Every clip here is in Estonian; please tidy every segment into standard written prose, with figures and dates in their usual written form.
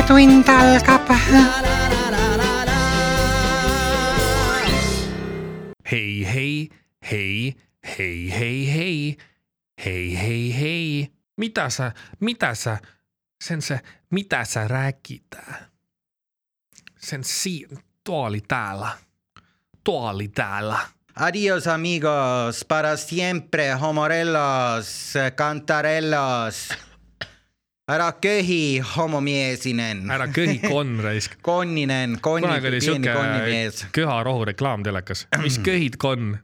Vahetund algab. Hei, hei, hei, hei, hei, hei, hei, hei, hei. Mitä sä, sen se, mitä sä rääkid? Sen tuo oli täällä. Adios amigos, para siempre, homorellos, cantarellos. Ära köhi, homomiesinen. Ära köhi konraisk. Konninen, pieni konnimies. Köharohu reklaam telekas. Mis köhid kon?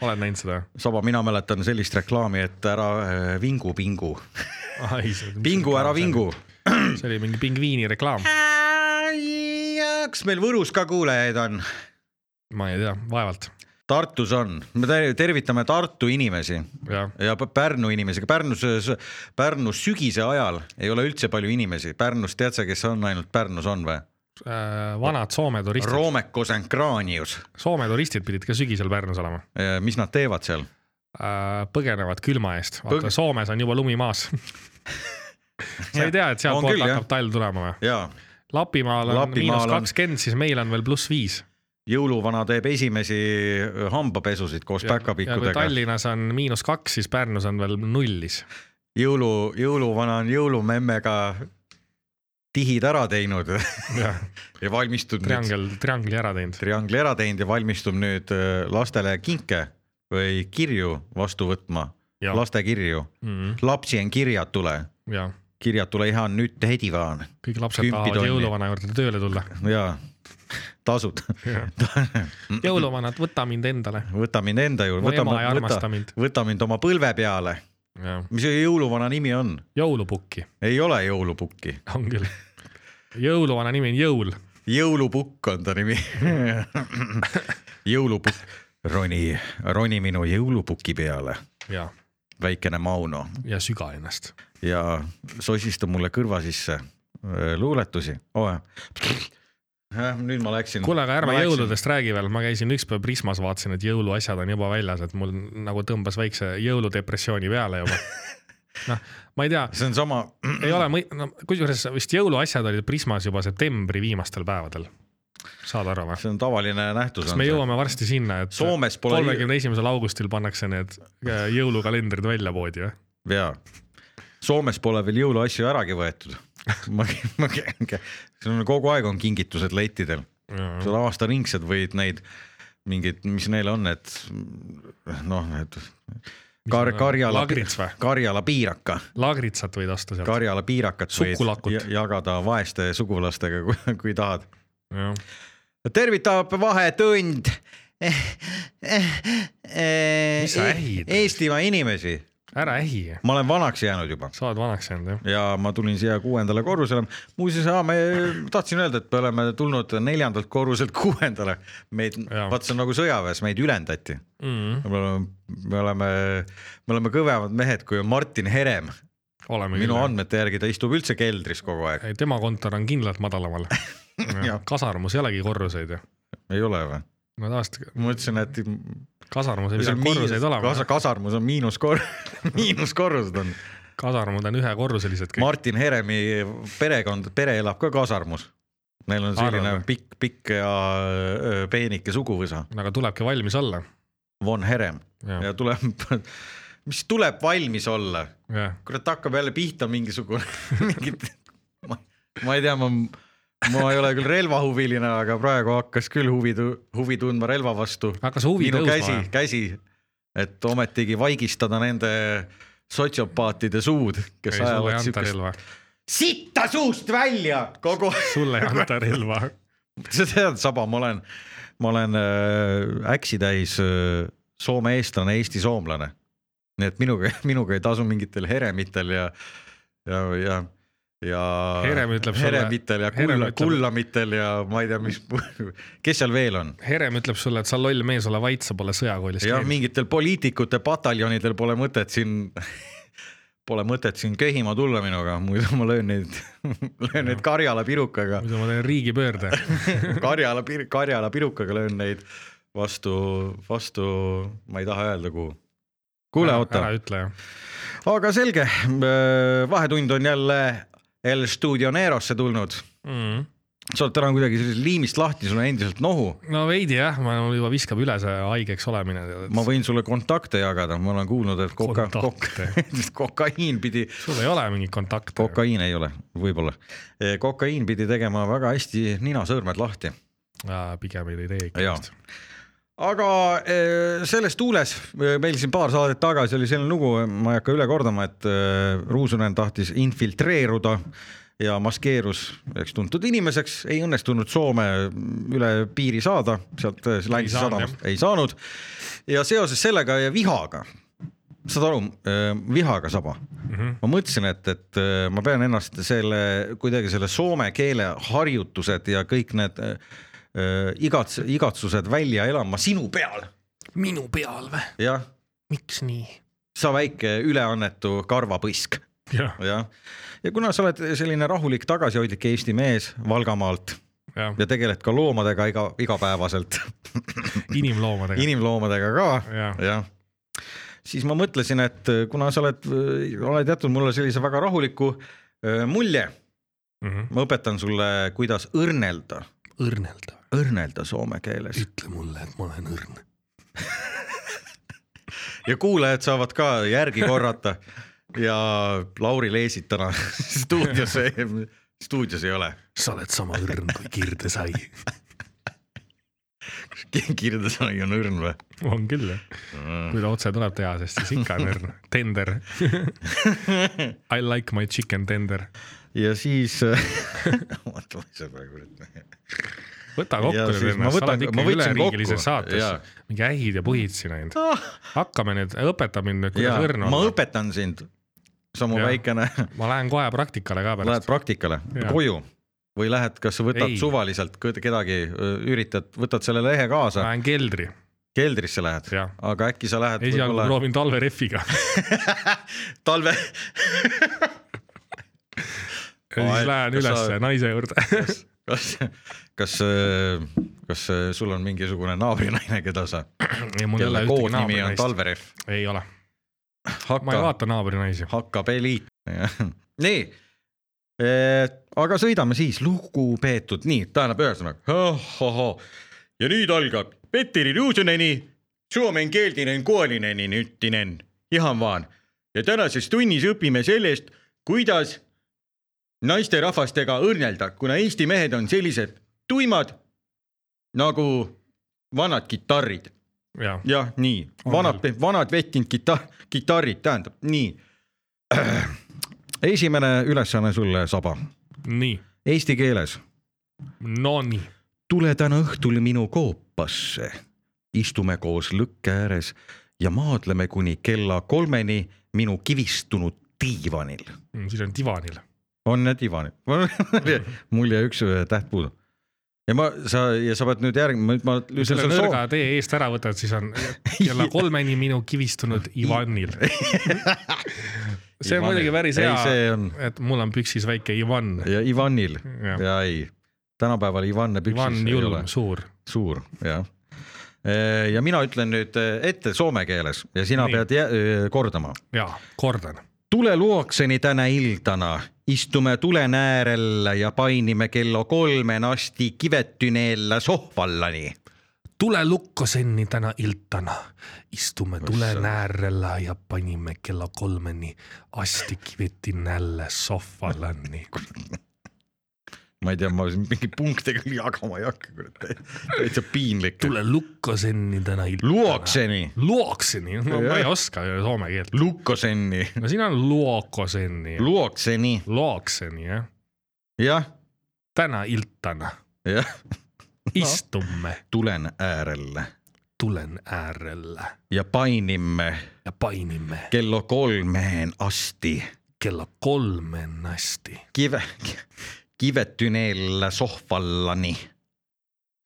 Oled näinud seda? Saba, mina mäletan sellist reklaami, et ära vingu. Pingu, ära vingu. See oli mingi pingviini reklaam. Kas meil Võrus ka kuulejaid on? Ma ei tea, vaevalt. Tartus on. Me tervitame Tartu inimesi ja Pärnu inimesi. Pärnus sügise ajal ei ole üldse palju inimesi. Pärnus, tead sa, kes on ainult Pärnus on või? Vanad Soome turistid. Roomekos and Kraanius. Soome turistid pidid ka sügisel Pärnus olema. Mis nad teevad seal? Põgenevad külma eest. Vaata, Soomes on juba lumi maas. Sa ei tea, et sealt poolt hakkab talv tulema või? Jaa. Lapimaal on -20, siis meil on veel +5. Jõuluvana teeb esimesi hambapesusid koos päkapikkudega. Ja kui Tallinnas on -2, siis Pärnus on veel 0. Jõuluvana on jõulumemmega tihid ära teinud ja valmistub triangli ära teinud ja valmistub nüüd lastele kinke või kirju vastu võtma. Laste kirju. Lapsien kirjad tule. Kirjad tule ihan nyt heti vaan. Kõik lapsed tahavad jõuluvana juurde tööle tulla. Jaa. Tasud. Jõuluvanad, võta mind endale. Võta mind enda juurde. Mu ema ei armasta mind. Võta mind oma põlve peale. Mis jõuluvana nimi on? Jõulupukki. Ei ole jõulupukki. On küll. Jõuluvana nimi on Jõul. Jõulupukk on ta nimi. Jõulupukk. Roni minu jõulupukki peale. Ja. Väikene Mauno. Ja süga ennast. Ja sosista mulle kõrva sisse luuletusi. Nüüd ma läksin. Kuule, aga ärme jõuludest räägi veel. Ma käisin ükspäev Prismas, vaatasin, et jõuluasjad on juba väljas, et mul nagu tõmbas väikse jõuludepressiooni peale juba. Ma ei tea. See on sama. Ei ole, kusjuures vist jõuluasjad olid Prismas juba septembri viimastel päevadel. Saad aru või? See on tavaline nähtus. Kas me jõuame varsti sinna, et 31. augustil pannakse need jõulukalendrid välja poodi või? Jaa. Soomes pole veel jõuluasju äragi võetud. Kogu aeg on kingitused leitidel. Seal aastaringsed võid neid mingid, mis neil on, et Karjala piiraka. Lagritsat võid osta sealt. Karjala piirakat Sukulakut. võid jagada vaeste sugulastega, kui tahad. Tervitab Vahetund Eestimaa inimesi. Ära ähi. Ma olen vanaks jäänud juba. Sa oled vanaks jäänud, jah. Ja ma tulin siia 6. korrusele. Muuseas, me tahtsin öelda, et me oleme tulnud 4. korruselt 6. Vaat see on nagu sõjaväes, meid ülendati. Me oleme kõvemad mehed, kui on Martin Herem. Minu andmete järgi ta istub üldse keldris kogu aeg. Tema kontor on kindlalt madalamal. Kasarmus ei olegi korruseid. Ei ole või? Ma mõtlesin, et kasarmus ei pidanud korruseid olema. Kasarmus on miinuskorrused on. Kasarmud on 1 korruselised kõik. Martin Heremi pere elab ka kasarmus. Neil on selline pikk ja peenike suguvõsa. Aga tulebki valmis olla. Von Herem. Ja mis tuleb valmis olla? Kurat hakkab jälle pihta mingisugune. Ma ei tea, ma ei ole küll relvahuviline, aga praegu hakkas küll huvi tundma relva vastu. Minu käsi, et ometigi vaigistada nende sotsiopaatide suud, kes ajavad sükest. Sitta suust välja! Sulle ei anta relva. Sa tead, Saba, ma olen äksitäis Soome eestlane, Eesti soomlane. Nii et minuga ei tasu mingitel heremitel ja heremitel ja kullamitel ja ma ei tea, kes seal veel on. Herem ütleb sulle, et sa loll mees ole vait, sa pole sõjakoolis. Ja mingitel poliitikute pataljonidel pole mõtet siin köhima tulla minuga, muidu ma löön neid Karjala pirukaga. Muidu ma teen riigipöörde. Karjala pirukaga löön neid vastu, ma ei taha öelda kuhu. Kuule, oota. Ära ütle, jah. Aga selge, Vahetund on jälle El Studio Nerosse tulnud Sa oled täna kuidagi sellisest liimist lahti, sul on endiselt nohu. No veidi jah, ma juba viskab üle see haigeks olemine. Ma võin sulle kontakte jagada, ma olen kuulnud, et kokaiin pidi... Sul ei ole mingi kontakte? Kokaiin ei ole, võib-olla. Kokaiin pidi tegema väga hästi ninasõõrmed lahti. Pigem ei tee ikka. Aga selles tuules, meil siin paar saadet tagasi oli selline lugu, ma ei hakka üle kordama, et Ruusunen tahtis infiltreeruda ja maskeerus tuntud inimeseks, ei õnnestunud Soome üle piiri saada, sealt Läänsi sadamast ei saanud. Ja seoses sellega ja vihaga, saad aru, vihaga saba. Ma mõtlesin, et ma pean ennast kuidagi selle soome keele harjutused ja kõik need igatsused välja elama sinu peal. Minu peal või? Jah. Miks nii? Sa väike üleannetu karvapõisk. Ja kuna sa oled selline rahulik tagasihoidlik Eesti mees Valgamaalt ja tegeled ka loomadega igapäevaselt. Inimloomadega ka. Ja. Siis ma mõtlesin, et kuna sa oled jätnud mulle sellise väga rahuliku mulje, ma õpetan sulle, kuidas õrnelda. Õrnelda soome keeles. Ütle mulle, et ma olen õrn. Ja kuulajad saavad ka järgi korrata. Ja Lauri Leesit täna stuudios ei ole. Sa oled sama õrn kui Kirdesai. Kirdesai on õrn või? On küll, jah. Kui ta otse tuleb teha, sest siis ikka on õrn. Tender. I like my chicken tender. Ja siis... Võta kokku nüüd ennast, sa oled ikka üleriigilises saates. Mingi ähid ja põhid siin ainult. Hakkame nüüd, õpeta mind nüüd, kuidas õrn olla. Ma õpetan sind, samu väikene. Ma lähen kohe praktikale ka pärast. Lähed praktikale, koju või lähed, kas sa võtad suvaliselt kedagi, võtad selle lehe kaasa? Lähen keldri. Keldrisse lähed, aga äkki sa lähed... Esialgu proovin talverefiga. Talve... Ja siis lähen üles naise juurde. Kas sul on mingisugune naabrinaine, keda sa... Kelle koodnimi on Talveref? Ei ole. Ma ei vaata naabrinaisi. Hakkapeliit. Nii, aga sõidame siis lugupeetud. Nii, tähendab ühesõnaga. Ja nüüd algab Petteri Ruusuneni, Suomen keeldinen kuolineni nyttinen. Ihan vaan. Ja tänases tunnis õpime sellest, kuidas naiste rahvastega õrnelda, kuna Eesti mehed on sellised tuimad nagu vanad kitarrid. Ja nii, vanad vettinud kitarrid, tähendab, nii. Esimene ülesanne sulle, Saba. Nii. Eesti keeles. No nii. Tule täna õhtul minu koopasse. Istume koos lõkke ääres ja maadleme kuni kella 3 minu kivistunud diivanil. Siis on divanil. On need divanil. Mul jäi üks täht puudu. Ja sa pead nüüd Kui selle nõrga tee eest ära võtad, siis on kella 3 minu kivistunud Ivanil. See on muidugi päris hea, et mul on püksis väike Ivan. Ja Ivanil. Ja ei. Tänapäeval Ivanne püksis Ivan julm, suur. Suur, jah. Ja mina ütlen nüüd ette soome keeles ja sina pead kordama. Jaa, kordan. Tule luokseni tänä iltana. Istume tulen äärellä ja painime kello 3 asti kivettyneellä sohvallani. Tule lukkosenni tänä iltana. Istume tulen äärellä ja painimme kello 3 asti kivettyneellä sohvallani. Ma ei tea, ma mingi punktega jagama ei hakka. Täitsa piinlik. Tule lukkosenni tänä iltana. Luokseni. Luokseni? No, ma ei oska soome keelt. Lukkosenni. No siin on luokosenni. Luokseni. Luokseni, jah. Jah. Tänä iltana. Jah. Istumme. Tulen äärellä. Tulen äärellä. Ja painimme. Ja painimme. Kello 3 asti. Kello 3 asti. Kivettyneellä sohvallani.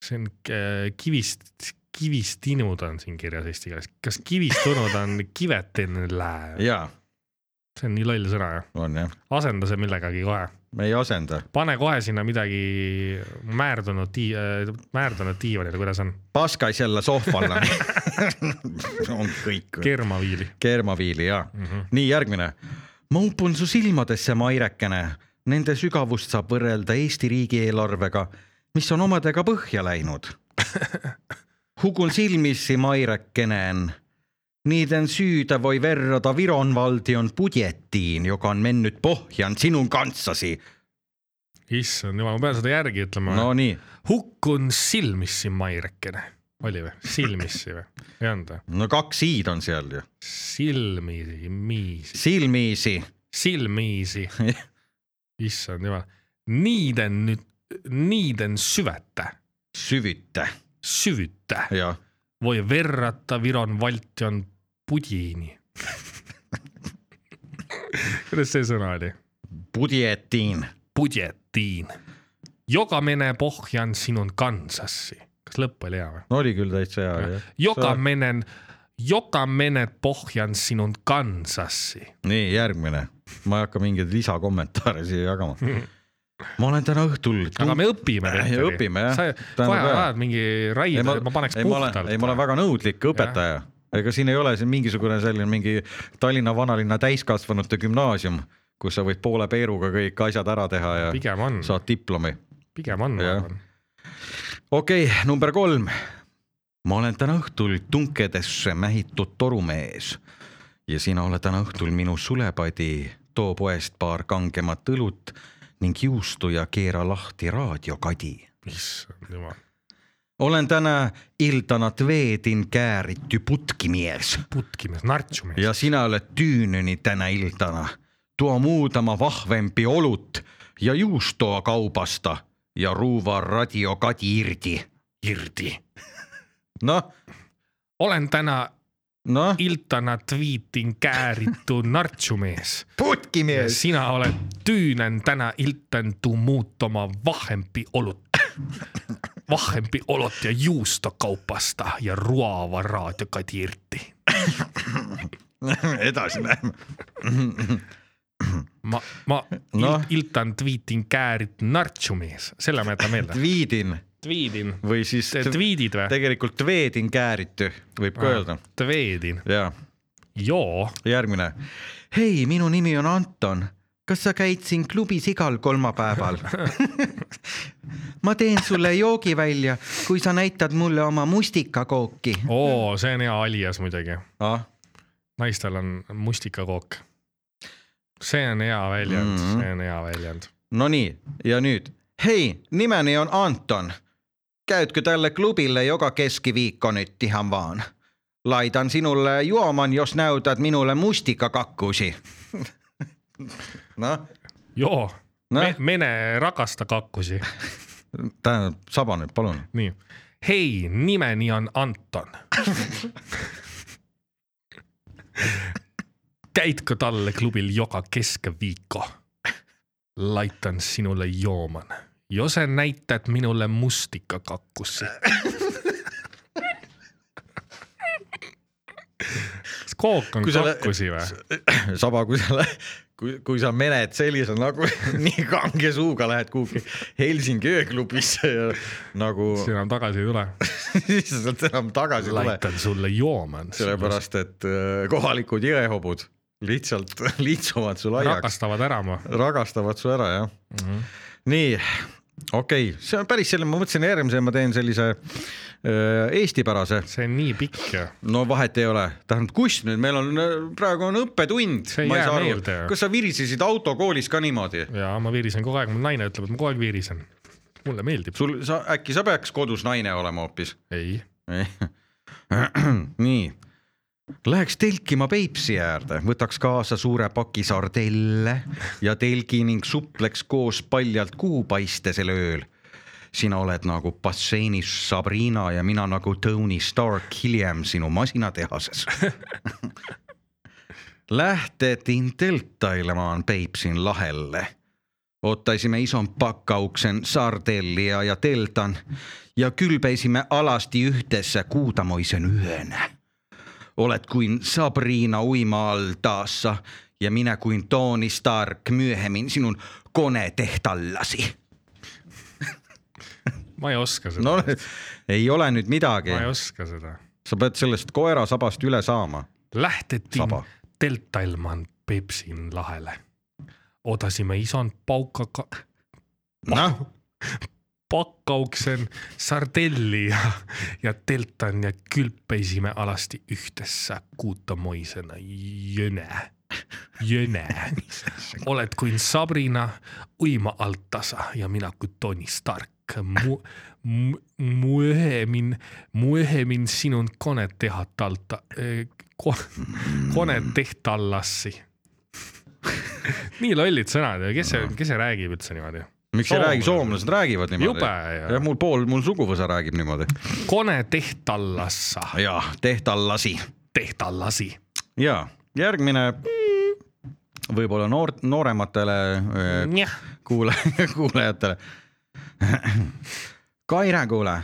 See on kivistinud on siin kirjas eesti keeles. Kas kivistunud on kivettenellä? Jaa. See on nii loll sõna, jah? On, jah. Asenda see millegagi kohe. Me ei asenda. Pane kohe sinna midagi määrdunud diivanile, kuidas on? Paskaisella sohvallani. On kõik. Kermaviili. Kermaviili, jah. Nii, järgmine. Ma upun su silmadesse, Mairekene. Nende sügavust saab võrrelda Eesti riigieelarvega, mis on omadega põhja läinud. Hukun silmissi Mairekkenen. Niiden syytä voi verrata Viron valtion budjettiin, joka on mennyt pohjan sinun kanssasi. Issand, ma pean seda järgi ütlema. No nii. Hukkun silmissi Mairekkene. Oli või? Silmissi või? Ei anda. No 2 i-d on seal ju. Silmiisi. Issand, jumal. Niiden syvyttä. Ja. Voi verrata Viron valtion budjiini. Kuidas see sõna oli? Budjettiin. Joka menee pohjan sinun kansassi. Kas lõpp oli hea või? No oli küll täitsa hea. Joka mened pohjan sinun kansassi. Nii, järgmine. Ma ei hakka mingeid lisakommentaare siia jagama. Ma olen täna õhtul... Aga me õpime. Õpime, jah. Sa kohe ajad mingi raid, ma paneks puhtalt. Ma olen väga nõudlik õpetaja. Ega siin ei ole siin mingisugune selline mingi Tallinna vanalinna täiskasvanute gümnaasium, kus sa võid poole peeruga kõik asjad ära teha ja saad diplomi. Pigem on. Okei, number 3. Ma olen täna õhtul tunkedesse mähitud torumees ja sina oled täna õhtul minu sulepadi, too poest paar kangemat õlut ning juustu ja keera lahti raadiokadi. Issand jumal. Olen täna iltanat veedin kääritty putkimies. Nartsumies. Ja sinä olet tyynöni tänä iltana. Tuo muutama vahvempi olut ja juustoa kaupasta ja ruuvaa radiokadi irti. No? Olen tänä iltana twiitin käärittu nartsumies. Putkimies. Ja sinä olet tyynän tänä iltantu muuttama vahvempi olot ja juustokaupasta ja ruova raadiokadi irti. Edasi läheme. Iltan twiitin käärit nartsumies. Selle mä jätän meiltä. Twiidin. Või siis twiidid või? Tegelikult tveedin kääritty, võib ka öelda. Tveedin. Jaa. Joo. Järgmine. Hei, minu nimi on Anton. Kas sa käid siin klubis igal kolmapäeval? Ma teen sulle joogi välja, kui sa näitad mulle oma mustikakooki. See on hea alias muidugi. Naistel on mustikakook. See on hea väljend. No nii, ja nüüd. Hei, nimeni on Anton. Käytkö tälle klubille joka keskiviikko nyt ihan vaan? Laitan sinulle juoman, jos näytät minulle mustikakakkusi. No? Joo, mene rakasta kakkusi. Tähendab, saba nüüd, palun. Nii. Hei, nimeni on Anton. Käitkö talle klubil joka keskiviikko? Laitan sinulle jooman. Jos sä näytät minulle mustikakakkusi. Kook on kakkusi või? Saba, kui sa mened sellise nagu nii kange suuga lähed kuhugi Helsingi ööklubisse ja nagu... Siis enam tagasi ei tule. Siis enam tagasi tule. Laitan sulle jooman. Sellepärast, et kohalikud jõehobud lihtsalt liitsuvad sul aiaks. Ragastavad su ära, jah. Nii, okei. See on päris selle, ma mõtlesin järgmise, ma teen sellise eestipärase. See on nii pikk. No vahet ei ole. Tähendab, kus nüüd? Meil on, praegu on õppetund. See ei jää meelde. Kas sa virisesid autokoolis ka niimoodi? Jaa, ma virisen kogu aeg. Mu naine ütleb, et ma kogu aeg virisen. Mulle meeldib. Äkki sa peaks kodus naine olema hoopis? Ei. Nii. Läheks telkima Peipsi äärde, võtaks kaasa suure paki sardelle ja telgi ning supleks koos paljalt kuupaistesel ööl. Sina oled nagu basseinis Sabrina ja mina nagu Tony Stark hiljem sinu masinatehases. Lähtetin telttailemaan Peipsin lahelle. Ottaisimme ison pakkauksen sardellia ja teltan ja kylpeisimme alasti yhdessä kuutamoisen yönä. Olet kuin Sabrina uima-altaassa ja minä kuin Tony Stark myöhemmin sinun konetehtallasi. Ma ei oska seda. No, ei ole nüüd midagi. Ma ei oska seda. Sa pead sellest koera sabast üle saama. Lähtetin telttailman Peipsin lahele. Odasime isan pakkauksen sardelli ja teltan ja külpeisimme alasti yhtessä kuuttamoisena jönä. Olet kuin Sabrina uima alttasa ja minä kuin Tony Stark. Myöhemmin sinun konetehtallassi. Nii lollid sõnad ja kes see räägib üldse niimoodi? Miks ei räägi, soomlased räägivad niimoodi. Jube, ja mul suguvõsa räägib niimoodi. Konetehtallassa. Ja, tehtallasi. Ja, järgmine võib-olla noorematele kuulajatele. Kaire, kuule,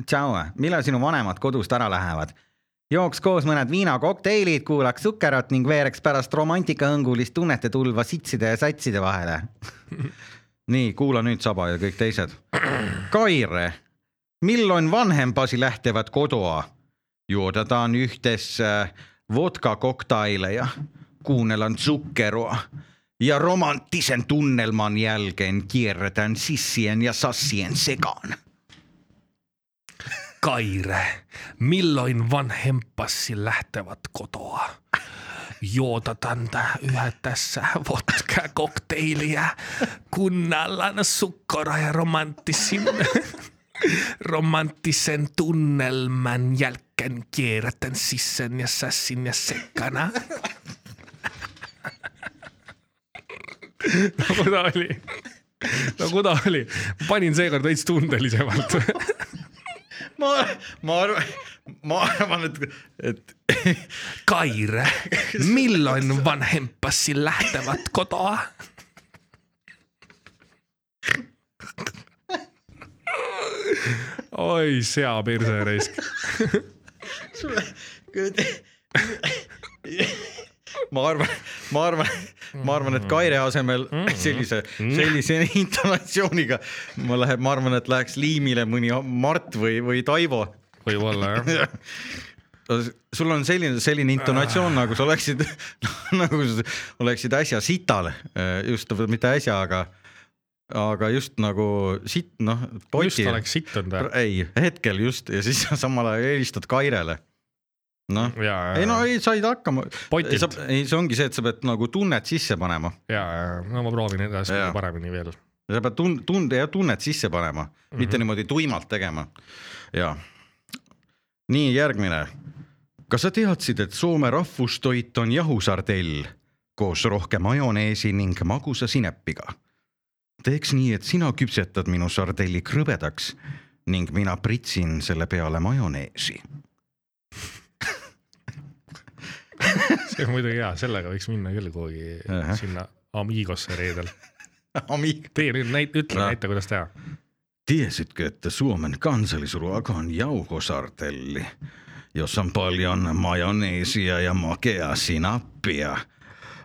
tšau, millal sinu vanemad kodust ära lähevad? Jooks koos mõned viinakokteilid, kuulaks sukkerat ning veereks pärast romantikahõngulist tunnete tulva sitside ja satside vahele. Nii, kuula nüüd Saba ja kõik teised. Kaire, milloin vanhempasi lähtevät kodoa? Juodataan yhdessä vodka-koktaileja, kuunnellaan sukkeroa ja romanttisen tunnelman jälkeen kierretään sissien ja sassien sekaan. Kaire, milloin vanhempasi lähtevät kotoa? Juotataan yhdessä vodka-kokteilia, kunnallaan sukkora ja romanttisen tunnelman jälkeen kierrätän sissen ja sassin ja sekkana. No kuda oli? Panin seekord veits tundelisemalt. Ma arvan, et Kaire, milloin vanhempasi lähtevät kotoa? Oi, sea pirse reisk. Ma arvan, et Kaire asemel sellise intonatsiooniga ma arvan, et läheks liimile mõni Mart või Taivo. Võib-olla, jah. Sul on selline intonatsioon, nagu sa oleksid äsja sital, just mitte äsja, aga just nagu sitt, poti. Just oleks sittund. Ei, hetkel just, ja siis samal ajal helistad Kairele. Ei, said hakkama. Ei, see ongi see, et sa pead nagu tunnet sisse panema. No ma proovin edasi paremini veel. Sa pead tunnet sisse panema, mitte niimoodi tuimalt tegema. Ja. Nii, järgmine. Kas sa teadsid, et Soome rahvustoit on jahusardell koos rohke majoneesi ning magusa sinepiga? Teeks nii, et sina küpsetad minu sardelli krõbedaks ning mina pritsin selle peale majoneesi. See on muidugi hea, sellega võiks minna küll kuhugi sinna Amigosse reedel. Tee nüüd näita, kuidas teha. Tiesitkö, että Suomen kansallisruoka on jauhosartelli, jossa on paljon majoneesia ja makea sinappia.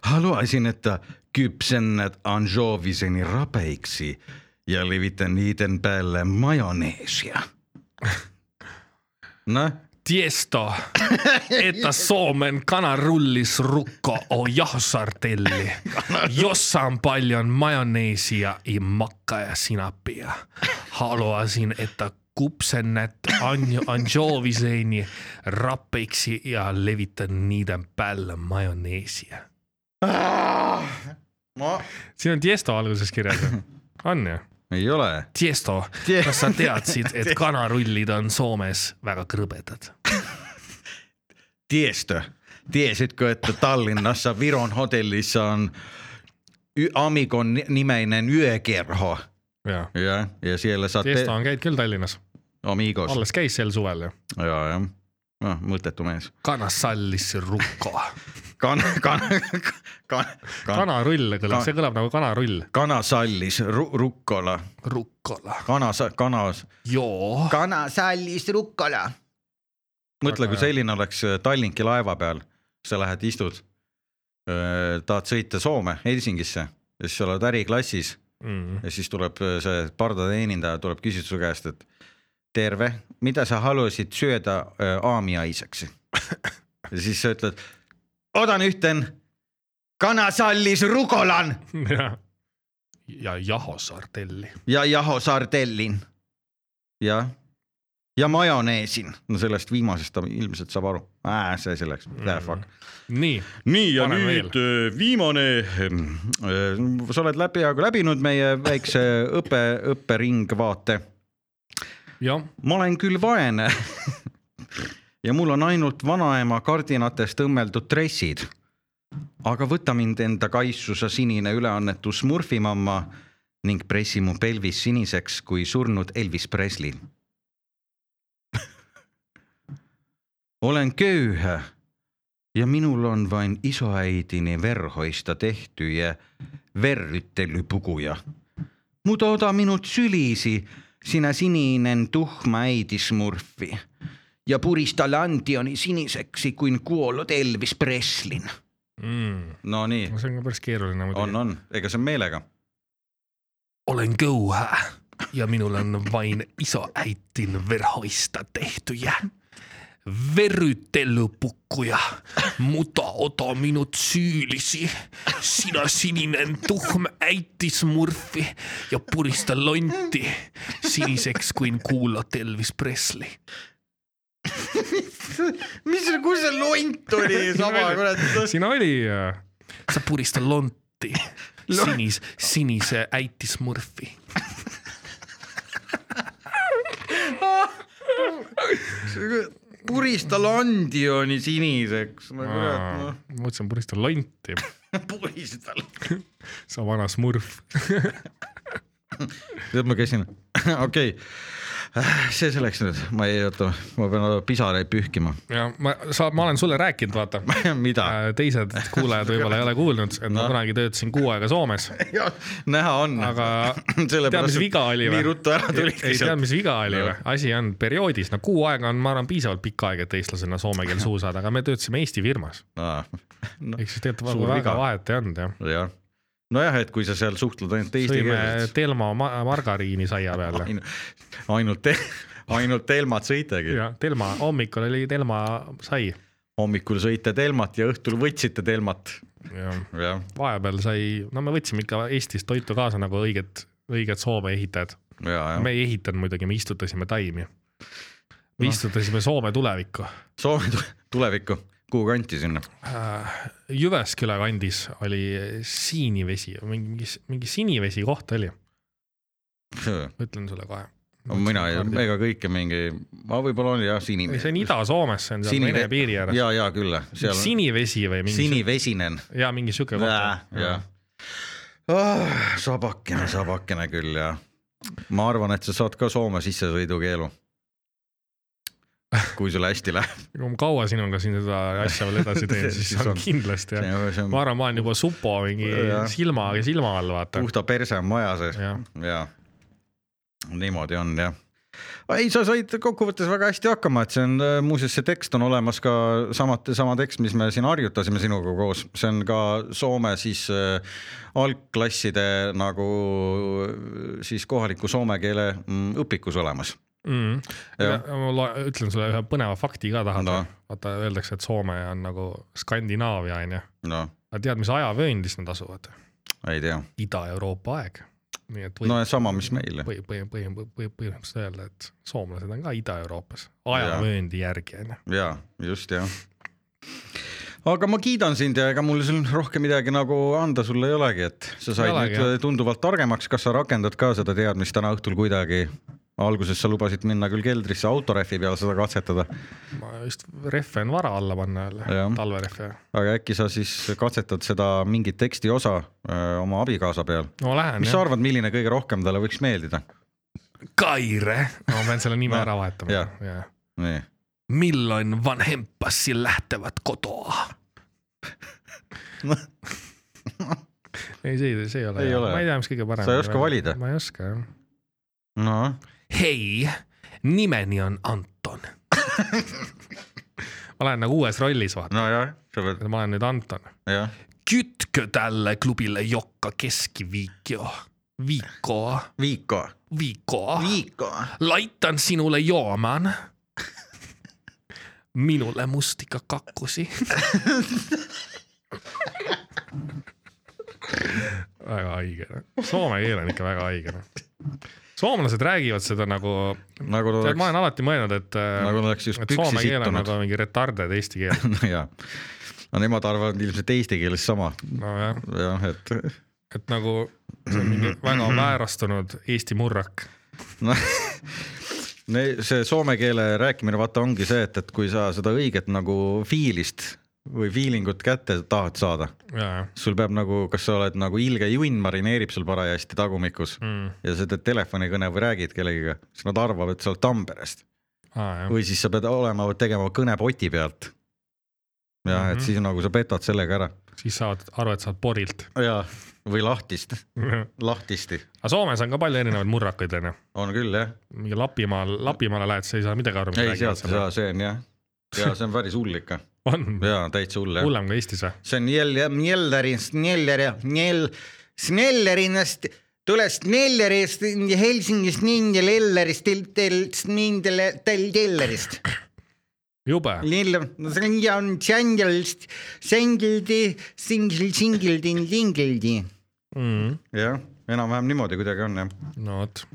Haluaisin, että kypsennät anjoviseni rapeiksi ja levitän niiden päälle majoneesia. Tiesto, että Suomen kanarullisrukko on jahosartelli, jossa on paljon majoneesia ja makkaa ja sinappia. Haluaisin, että kupsennät anjoviseni rappeiksi ja levitän niiden päälle majoneesia. Siin on Tiesto alguses kirjas. On ju? Ei ole. Tiesto, kas sa teadsid, et kanarullid on Soomes väga krõbedad? Tiesto, tiesitkö, että Tallinnassa Viron hotellissa on Amigon nimeinen yökerho? Ja siellä saat... Tiesto on käid küll Tallinnas. Amigos. Alles käis sel suvel ju. Ja. Mõttetu mees. Kanasallis rukko. Kanarull kõlab, see kõlab nagu kanarull. Kanasallis rukkola. Kanasallis rukkola. Mõtle, kui selline oleks Tallinki laeva peal, sa lähed istud, tahad sõita Soome, Helsingisse, ja siis sa oled äriklassis ja siis tuleb see pardateenindaja, tuleb küsida su käest, et terve, mida sa haluaisid syödä aamiaiseksi? Ja siis sa ütled, odan yhten kanasallis rukolan. Ja jahosardelli. Ja jahosardellin. Ja majoneesin. No sellest viimasest ta ilmselt saab aru. See selleks. Fuck. Nii ja nüüd viimane. Sa oled läbinud meie väikse õpperingvaate. Ma olen küll vaene ja mul on ainult vanaema kardinatest õmmeldud dressid. Aga võta mind enda kaissusa sinine üleannetu Smurfimamma ning pressi mu pelvis siniseks kui surnud Elvis Presley. Olen köyhä ja minul on vain isoäidini verhoista tehty ja verryttelypukuja. Mutta ota minut sylisi, sinä sininen tuhma äiti Smurfi ja purista lantioni siniseksi kuin kuollut Elvis Preslin. No nii. See on ka päris keeruline. On. Ega see on meelega. Olen köyhä ja minul on vain isoäitin verhoista tehtyjä. Verryttelypukkuja, mutta ota minut syyllisi. Sinä sininen tuhma äiti Smurfi ja purista lontti siniseksi kuin kuulot Elvis Presley. Kus see lont oli? Siinä oli. Sa purista lontti sinise äiti Smurfi. Purista landioni siniseks. Mõtlesin purista lonti. Purista. Sa vana Smurf. Tead ma käisin. Okei. See selleks nüüd. Ma pean pisareid pühkima. Ja, ma olen sulle rääkinud, vaata. Mida? Teised kuulajad võib-olla ei ole kuulnud, et ma kunagi töötasin 6 aega Soomes. Näha on. Aga tead, mis viga oli või? Nii ruttu ära tulid. Ei tead, mis viga oli või? Asi on perioodis. 6 aega on, ma arvan, piisavalt pikka aega, et eestlasena soome keel suu saada, aga me töötasime Eesti firmas. Ehk siis tegelikult väga vahet ei olnud, jah. Nojah, et kui sa seal suhtled ainult eesti keeles. Sõime Telma margariini saia peale. Ainult Telmat sõitegi. Telma, hommikul oli Telma sai. Hommikul sõite Telmat ja õhtul võtsite Telmat. Vahepeal sai, me võtsime ikka Eestist toitu kaasa nagu õiged Soome ehitajad. Me ei ehitanud muidugi, me istutasime taimi. Me istutasime Soome tulevikku. Soome tulevikku? Kuhu kanti sinna? Jyväskylä kandis oli siinivesi, mingi sinivesi koht oli. Ütlen sulle kohe. Mina ega kõike mingi, võib-olla oli jah sinivesi. See on Ida-Soomes, see on seal Vene piiri ääres. Ja küll. Sinivesi või mingi... Sinivesinen. Ja mingi süke kohta. Sabakene küll ja ma arvan, et sa saad ka Soome sissesõidukeelu. Kui sulle hästi läheb. Kui ma kaua sinuga siin seda asja veel edasi teen, siis on kindlasti. Ma arvan, ma olen juba supo mingi silma all, vaata. Puhta perse on maja sees. Ja. Niimoodi on, jah. Ei, sa said kokkuvõttes väga hästi hakkama, et see on, muuseas see tekst on olemas ka sama tekst, mis me siin harjutasime sinuga koos. See on ka Soome siis algklasside nagu siis kohaliku soome keele õpikus olemas. Ma ütlen sulle ühe põneva fakti ka tahad. Vaata, öeldakse, et Soome on nagu Skandinaavia, on ju. Aga tead, mis ajavööndis nad asuvad? Ei tea. Ida-Euroopa aeg. Sama, mis meil. Põhimõtteliselt öelda, et soomlased on ka Ida-Euroopas. Ajavööndi järgi, on ju. Jaa, just, jah. Aga ma kiidan sind ja ega mul rohkem midagi nagu anda sulle ei olegi, et sa said nüüd tunduvalt targemaks. Kas sa rakendad ka seda teadmist täna õhtul kuidagi? Alguses sa lubasid minna küll keldrisse autoreffi peale seda katsetada. Ma just reffe on vara alla panna jälle, talvereffe. Aga äkki sa siis katsetad seda mingit teksti osa oma abikaasa peal? No lähen, mis sa arvad, milline kõige rohkem talle võiks meeldida? Kaire! Ma pean selle nime ära vahetama. Nii. Milloin vanhempassi lähtevät kotoa? Ei, see ei ole. Ma ei tea, mis kõige parem. Sa ei oska valida? Ma ei oska, jah. No. Hei, nimeni on Anton. Ma olen nagu uues rollis, vaata. No jah. Ma olen nüüd Anton. Kytkö tälle klubille jokka keskiviikko? Viikko. Laitan sinulle jooman. Minulle mustikakakkusi. haige. Soome keel on ikka väga haige. Soomlased räägivad seda nagu ma olen alati mõelnud, et soome keel on nagu mingi retarded eesti keel. Jaa. No nemad arvavad ilmselt eesti keeles sama. No jah. Et nagu see on mingi väga väärastunud eesti murrak. No, see soome keele rääkimine vaata ongi see, et kui sa seda õiget nagu fiilist või feelingut kätte tahad saada. Sul peab nagu, kas sa oled nagu ilge junn marineerib sul parajasti tagumikus ja sa teed telefonikõne või räägid kellegiga, siis nad arvavad, et sa oled Tamperest. Või siis sa pead tegema kõne poti pealt. Ja, et siis nagu sa petad sellega ära. Siis saad aru, et saad porilt. Ja, või lahtisti. Aga Soomes on ka palju erinevaid murrakaid. On küll, jah. Mingi Lapimaale lähed, sa ei saa midagi aru. Ei, sealt saa, see on, jah. Ja see on päris hull ikka. On? Jaa, täitsa hull, jah. Hullem ka Eestis, või? See on Snellerinast, tulest Nellerist, Helsingist, Nindelellerist, Tellerist. Jube. Singildi. Jah, enam-vähem niimoodi kuidagi on, jah. No, oot.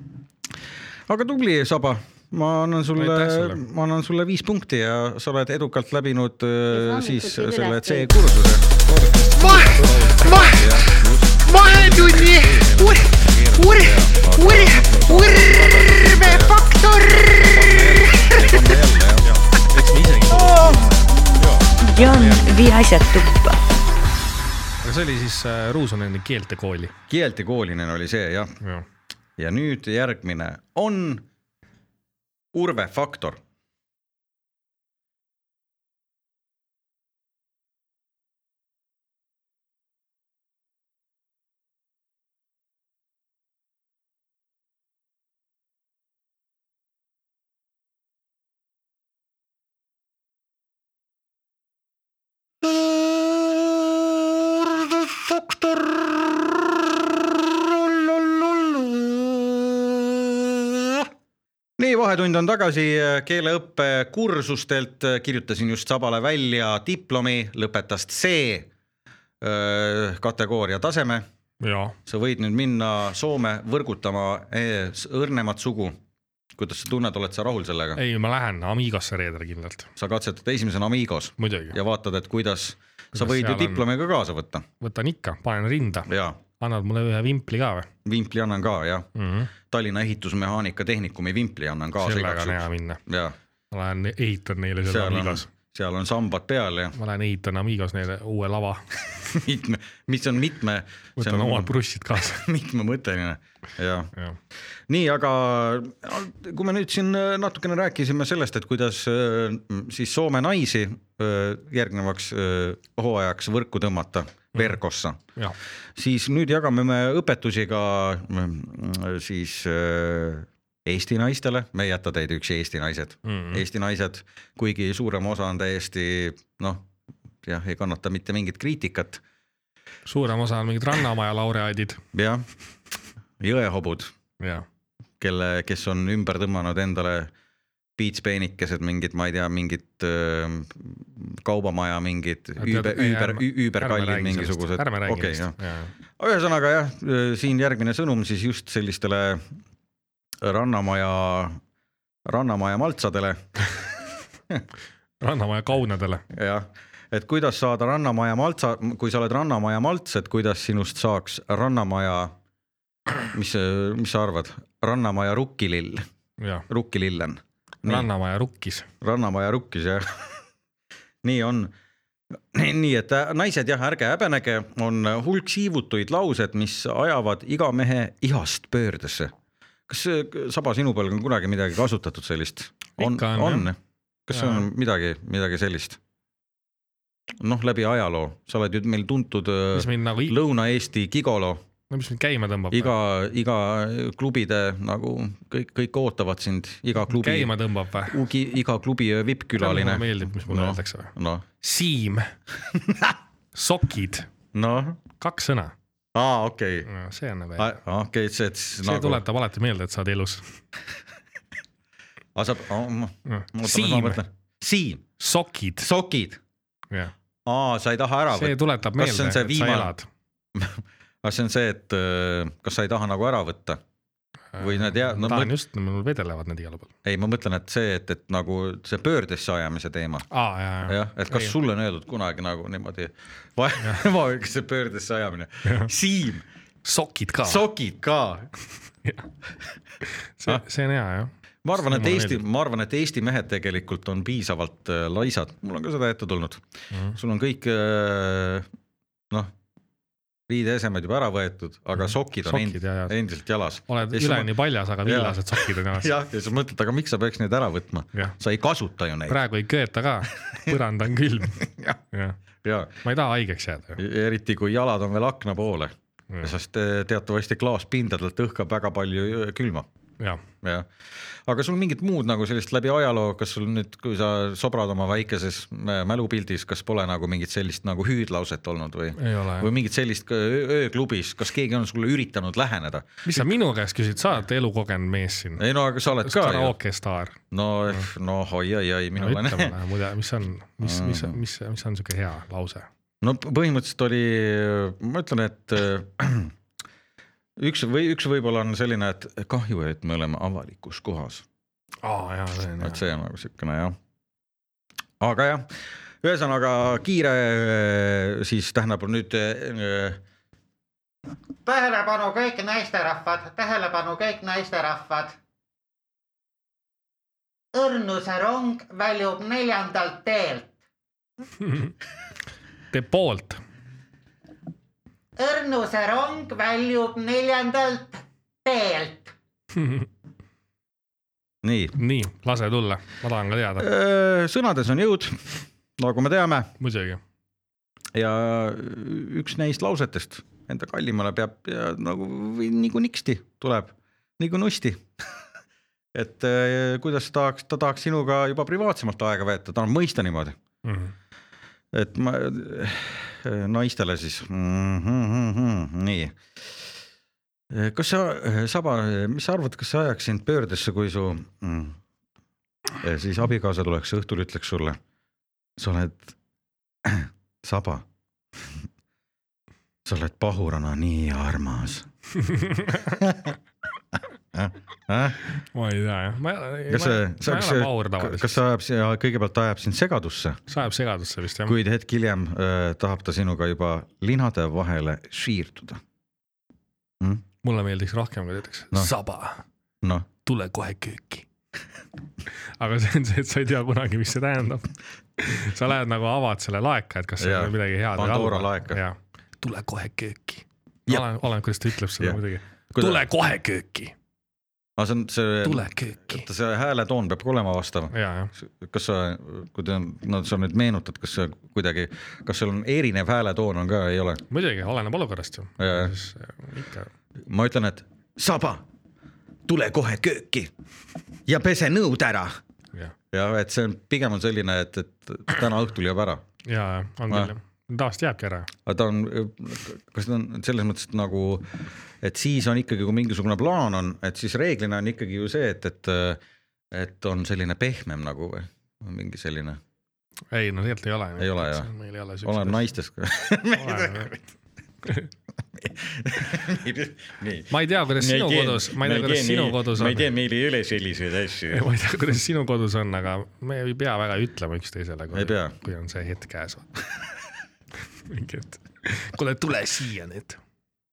Aga tubli, Saba. Ma annan sulle 5 punkti ja sa oled edukalt läbinud siis selle C-kursuse. Vahetunni urmefaktor! Jan, vii asjad tuppa. Aga see oli siis Ruusoneni keeltekooli. Keeltekoolinen oli see, jah. Ja nüüd järgmine on urvefaktor. Urvefaktor. Nii, vahetund on tagasi keeleõppe kursustelt, kirjutasin just Sabale välja diplomi, lõpetas C kategooria taseme. Ja. Sa võid nüüd minna Soome võrgutama õrnemat sugu. Kuidas sa tunned, oled sa rahul sellega? Ei, ma lähen Amigosse reedel kindlalt. Sa katsetad esimesena Amigos. Muidugi. Ja vaatad, et kuidas sa võid ju diplomiga kaasa võtta. Võtan ikka, panen rinda. Jaa. Annad mulle ühe vimpli ka või? Vimpli annan ka, jah. Tallinna ehitusmehaanika tehnikumi vimpli annan ka. Sellega on hea minna. Ja. Ma lähen ehitan neile seal Amigos. Seal on sambad peal, jah. Ma lähen ehitan Amigos neile uue lava. Mis on mitme... Võtan omad brussid kaasa. Mitme mõtteline. Ja. Nii, aga kui me nüüd siin natukene rääkisime sellest, et kuidas siis Soome naisi järgnevaks hooajaks võrku tõmmata verkossa, siis nüüd jagame me õpetusi ka siis Eesti naistele, me ei jäta teid üks Eesti naised. Eesti naised, kuigi suurem osa on täiesti, jah, ei kannata mitte mingit kriitikat. Suurem osa on mingid Rannamaja laureaadid. Jah, jõehobud, ja. Kes on ümber tõmmanud endale piitspeenikesed, mingid, ma ei tea, mingid kaubamaja, mingid üüberkallid mingisugused. Ärme räägi sellest. Ühesõnaga jah, siin järgmine sõnum siis just sellistele Rannamaja maltsadele. Rannamaja kaunadele. Jah, et kuidas saada Rannamaja maltsa, kui sa oled Rannamaja malts, et kuidas sinust saaks Rannamaja, mis sa arvad? Rannamaja rukkilill. Rukkilillen. Rannamaja rukkis. Rannamaja rukkis, jah. Nii on. Nii, et naised jah, ärge häbenege, on hulk siivutuid laused, mis ajavad iga mehe ihast pöördesse. Kas Saba sinu peal on kunagi midagi kasutatud sellist? On. Kas see on midagi sellist? Läbi ajaloo. Sa oled ju meil tuntud Lõuna-Eesti gigolo. Mis mind käima tõmbab? Iga klubide, nagu kõik ootavad sind. Käima tõmbab või? Iga klubi vippkülaline. Mulle meeldib, mis mulle öeldakse või? Siim. Sokid. 2 sõna. Okei. See on Okei, see tuletab alati meelde, et sa oled elus. Siim. Sokid. Sa ei taha ära. See tuletab meelde, et sa elad. aga see on see, et kas sa ei taha nagu ära võtta või need tahan just, mul vedelevad need igal pool. Ei, ma mõtlen, et see, et nagu see pöördesse ajamise teema. jah, et kas sulle on öeldud kunagi nagu niimoodi see pöördesse ajamine. Siim. Sokid ka. see on hea, jah. Ma arvan, et Eesti mehed tegelikult on piisavalt laisad. Mul on ka seda ette tulnud. Sul on kõik riideesemed juba ära võetud, aga sokid on endiselt jalas. Oled üleni paljas, aga villased sokid on jalas. Ja sa mõtled, aga miks sa peaks neid ära võtma? Sa ei kasuta ju neid. Praegu ei kööta ka, põrand on külm. Ma ei taha haigeks jääda. Eriti kui jalad on veel akna poole, sest teatavasti klaaspindadelt õhkab väga palju külma. Ja. Aga sul mingit muud nagu sellist läbi ajaloo, kas sul nüüd, kui sa sobrad oma väikeses mälupildis, kas pole nagu mingit sellist nagu hüüdlauset olnud või mingit sellist ööklubis, kas keegi on sulle üritanud läheneda? Mis sa minu käest küsid, sa oled elukogenud mees siin? Ei no, aga sa oled ka karaoke staar. No oi, minul on. Mis on siuke hea lause? No põhimõtteliselt oli, ma ütlen, et üks võib-olla on selline, et kahju, et me oleme avalikus kohas. See on nagu siukene, jah. Aga jah, ühesõnaga kiire, siis tähendab nüüd tähelepanu kõik naisterahvad. Õrnuse rong väljub 4. teelt. Te poolt. Õrnuse rong väljub 4. teelt. Nii, lase tulla, ma tahan ka teada. Sõnades on jõud, nagu me teame. Muidugi. Ja üks neist lausetest enda kallimale peab nagu nagu niksti tuleb, nagu nusti. Et kuidas ta tahaks sinuga juba privaatsemalt aega veeta, ta on mõista niimoodi. Et ma naistele siis nii. Kas sa, Saba, mis sa arvad, kas sa ajaks sind pöördesse, kui su siis abikaasa tuleks õhtul ütleks sulle, sa oled Saba, sa oled pahurana nii armas. Ma ei tea, jah. Kas sa kõigepealt ajab sind segadusse? Sa ajab segadusse vist, jah. Kuid hetk hiljem tahab ta sinuga juba linade vahele šiirtuda. Mulle meeldiks rohkem, kui teetaks Saba, tule kohe kööki. Aga see on see, et sa ei tea kunagi, mis see tähendab. Sa lähed nagu avad selle laeka, et kas see on midagi head. Pandora laeka. Tule kohe kööki. Olen, kuidas ta ütleb seda muidugi. Tule kohe kööki. Tule kööki. See hääletoon peab olema vastav. Kas sa, kui sa nüüd meenutad, kas seal on erinev hääletoon on ka, ei ole? Muidugi, oleneb olukorrast ju. Ma ütlen, et Saba, tule kohe kööki ja pese nõud ära. Ja et see pigem on selline, et täna õhtul jääb ära. Jaa, on küll. Taast jääbki ära. Kas ta on selles mõttes nagu, et siis on ikkagi, kui mingisugune plaan on, et siis reeglina on ikkagi ju see, et on selline pehmem nagu või mingi selline. Ei, no tegelikult ei ole. Ei ole, jah. Olen naistest. Ma ei tea, kuidas sinu kodus on. Ma ei tea, meil ei ole selliseid asju. Ma ei tea, kuidas sinu kodus on, aga me ei pea väga ütlema üks teisele, kui on see hetk käes. Kuule, tule siia nüüd.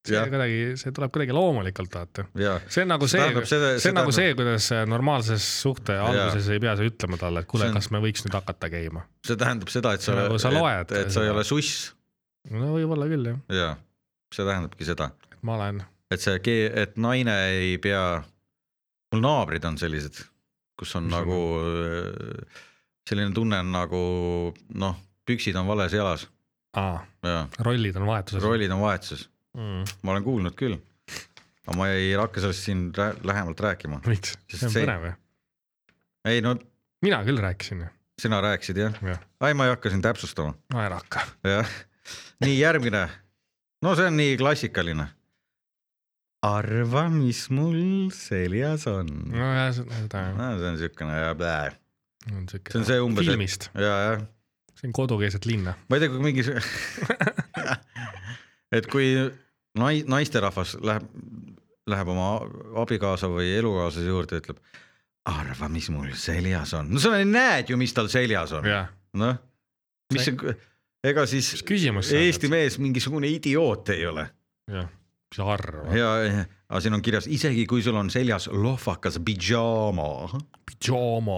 See tuleb kuidagi loomulikult, vaata. See on nagu see, kuidas normaalses suhte alguses ei pea sa ütlema talle, et kuule, kas me võiks nüüd hakata käima. See tähendab seda, et sa ei ole suss. No võib-olla küll, jah. Jaa, see tähendabki seda. Ma olen. Et naine ei pea, mul naabrid on sellised, kus on nagu selline tunne on nagu, püksid on vales jalas. Rollid on vahetuses. Ma olen kuulnud küll, aga ma ei hakka sellest siin lähemalt rääkima. Miks? See on põnev, jah? Ei, no... Mina küll rääkisin. Sina rääkisid, jah? Ai, ma ei hakka siin täpsustama. No ei hakka. Nii, järgmine. No see on nii klassikaline. Arva, mis mul seljas on. No jah, seda. See on siukene ja blää. See on see umbes. Filmist. Jah. See on kodukeeset linna. Ma ei tea, kui mingi... Et kui naisterahvas läheb oma abikaasa või elukaaslase juurde ja ütleb, arva, mis mul seljas on. No sa näed ju, mis tal seljas on. Noh, mis see, ega siis Eesti mees mingisugune idioot ei ole. Jah, mis arva. Aga siin on kirjas, isegi kui sul on seljas lohvakas pidžaama.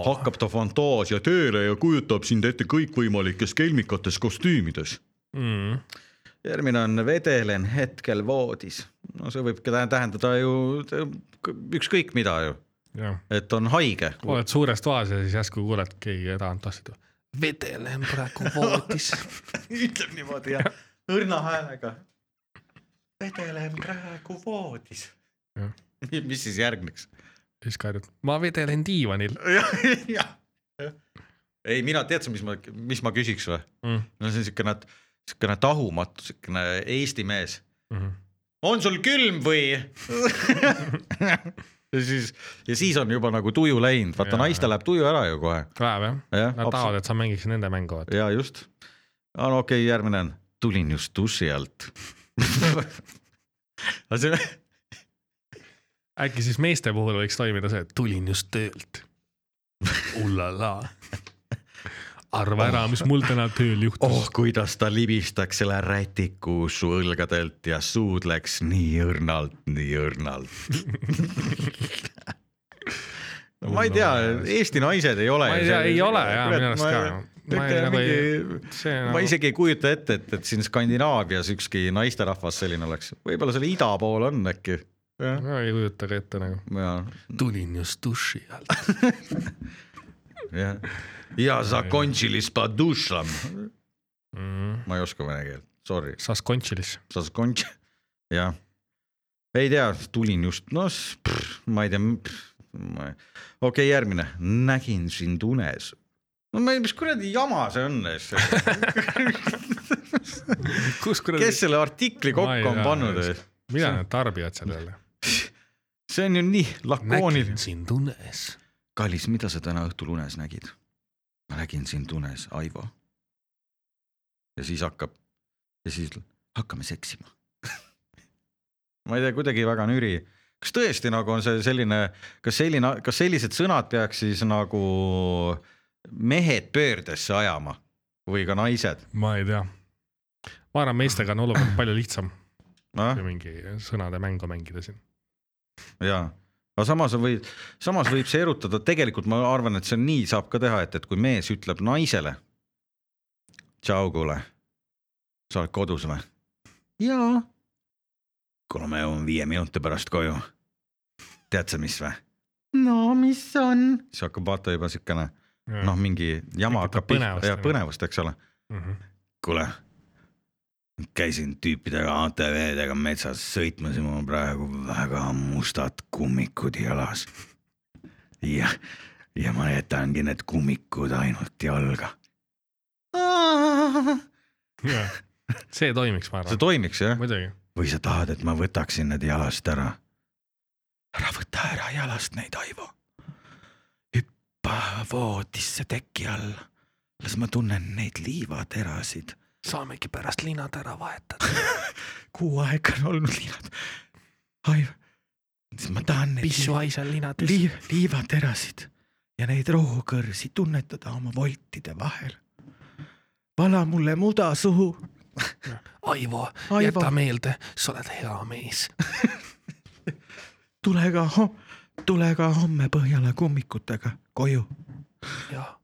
Hakkab ta fantaasia tööle ja kujutab sind ette kõikvõimalikes kelmikates kostüümides. Järgmine on vedelen hetkel voodis. No see võib tähendada ju ükskõik mida ju. Ja. Et on haige. Oled suures toas ja siis jäsku kuuled keegi edanud tassitu. Vedelen praegu voodis. Ütleb niimoodi ja õrna häälega. Vedelen praegu voodis. Ja. Mis siis järgneks? Siis kaidud, ma vedelen diivanil. Ja. Ei, mina tead, mis ma küsiks või? No see on siukene tahumatu, siukene Eesti mees. On sul külm või? ja siis on juba nagu tuju läinud. Vaata, naiste läheb tuju ära ju kohe. Läheb, jah. Nad tahavad, et sa mängiks nende mängu. Ja just. No okei, järgmine on. Tulin just duši alt. Äkki siis meeste puhul võiks toimida see, et tulin just töölt. Ullala. Arva ära, mis mul täna tööl juhtus. Kuidas ta libistaks selle rätiku su õlgadelt ja suud läks nii õrnalt. No, ma ei tea, Eesti naised ei ole. Ma ei tea, ei ole, jah, minu arust ka. Ma isegi ei kujuta ette, et siin Skandinaavias ükski naisterahvas selline oleks. Võib-olla selle ida pool on äkki. No, ei kujuta ka ette nagu. Ja. Tulin just duši alt. Ja zakončilis pa dušlam. Ma ei oska vene keel, sorry. Saskončilis. Jah. Ei tea, tulin just, ma ei tea. Okei, järgmine. Nägin sind unes. No mis kuradi jama see on? Kes selle artikli kokku on pannud? Mida need tarbijad sellele? See on ju nii lakoonil. Nägin sind unes. Kallis, mida sa täna õhtul unes nägid? Ma nägin sind unes, Aivo. Ja siis hakkame seksima. Ma ei tea, kuidagi väga nüri. Kas tõesti nagu on see selline, kas sellised sõnad peaks siis nagu mehed pöördesse ajama või ka naised? Ma ei tea. Ma arvan, meistega on olukord palju lihtsam. Kui mingi sõnade mängu mängida siin. Jaa. Aga samas võib see erutada, tegelikult ma arvan, et see nii saab ka teha, et kui mees ütleb naisele, tšau kuule, sa oled kodus või? Jaa. Kuule, me jõuame 5 minuti pärast koju. Tead sa mis või? No, mis on? Siis hakkab vaata juba siukene, mingi jama hakkab põnevust, eks ole. Kuule, käisin tüüpidega ATV-dega metsas, sõitmasin mul praegu väga mustad kummikud jalas. Ja ma jätangi need kummikud ainult jalga. See toimiks, ma arvan. See toimiks, jah? Muidugi. Või sa tahad, et ma võtaksin need jalast ära? Ära võta ära jalast neid, Aivo. Hüppa voodisse teki all. Las ma tunnen neid liivaterasid. Saamegi pärast linad ära vahetada. 6 aega on olnud linad. Aivo, ma tahan neid pissuaisal linades. Liivaterasid ja neid rohukõrsi tunnetada oma voltide vahel. Vala mulle muda suhu. Aivo, jäta meelde, sa oled hea mees. Tule ka homme Põhjala kummikutega koju. Jah.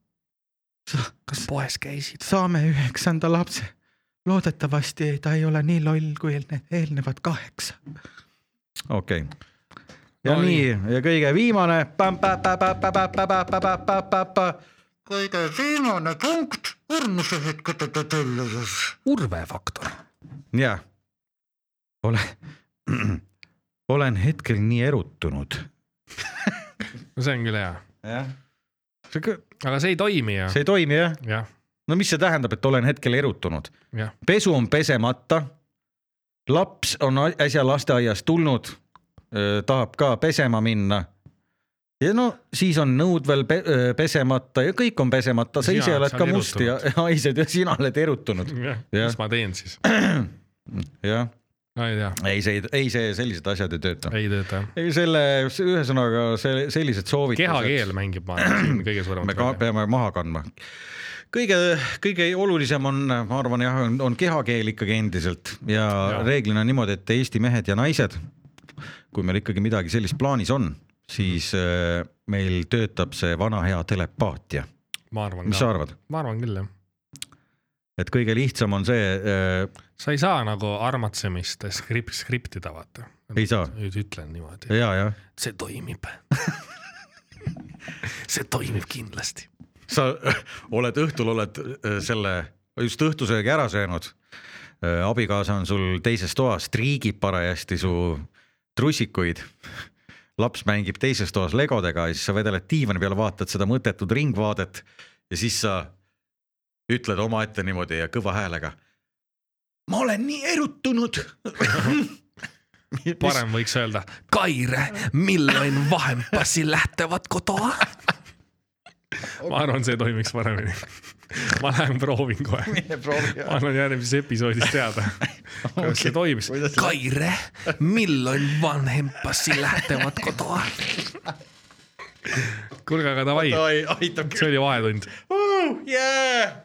Kas poes käisid? Saame 9. lapse. Loodetavasti ta ei ole nii loll kui eelnevad 8. Okei. Ja nii, ja kõige viimane. Kõige viimane punkt. Õrnuse hetkete telluses. Urvefaktor. Jah. Olen hetkel nii erutunud. No see on küll hea. Jah. Aga see ei toimi, jah? See ei toimi, jah? Jah. No mis see tähendab, et olen hetkel erutunud? Ja. Pesu on pesemata. Laps on äsja lasteaiast tulnud. Tahab ka pesema minna. Ja no siis on nõud veel pesemata ja kõik on pesemata. Sa ise oled ka must ja haised ja sina oled erutunud. Mis ma teen siis? Jah. No, ei see sellised asjad ei tööta. Ei tööta. Ei ühesõnaga sellised soovitused. Kehakeel mängib siin kõige suuremat. Me peame maha kandma. Kõige olulisem on, ma arvan, on kehakeel ikkagi endiselt ja reeglina niimoodi, et Eesti mehed ja naised, kui meil ikkagi midagi sellist plaanis on, siis meil töötab see vana hea telepaatia. Mis sa arvad? Ma arvan küll, jah. Et kõige lihtsam on see... Sa ei saa nagu armatsemist skriptida, vaata. Ei saa. Ütlen niimoodi. Ja. See toimib. See toimib kindlasti. Sa õhtul oled just õhtusöögi ära söönud. Abikaasa on sul teises toas, triigib parajasti su trussikuid. Laps mängib teises toas legodega ja siis sa vedeled diivani peale, vaatad seda mõttetud ringvaadet ja siis sa ütled oma ette niimoodi ja kõva häälega. Ma olen nii erutunud. Parem võiks öelda, Kaire, milloin vahempasi lähtevad kotoa? Ma arvan, see toimiks paremini. Ma lähen proovin kohe. Ma annan järgmises episoodis teada. Kas see toimis? Kaire, milloin vanhempasi lähtevad kotoa? Kuulge, aga davai. See oli vahetund. Yeah!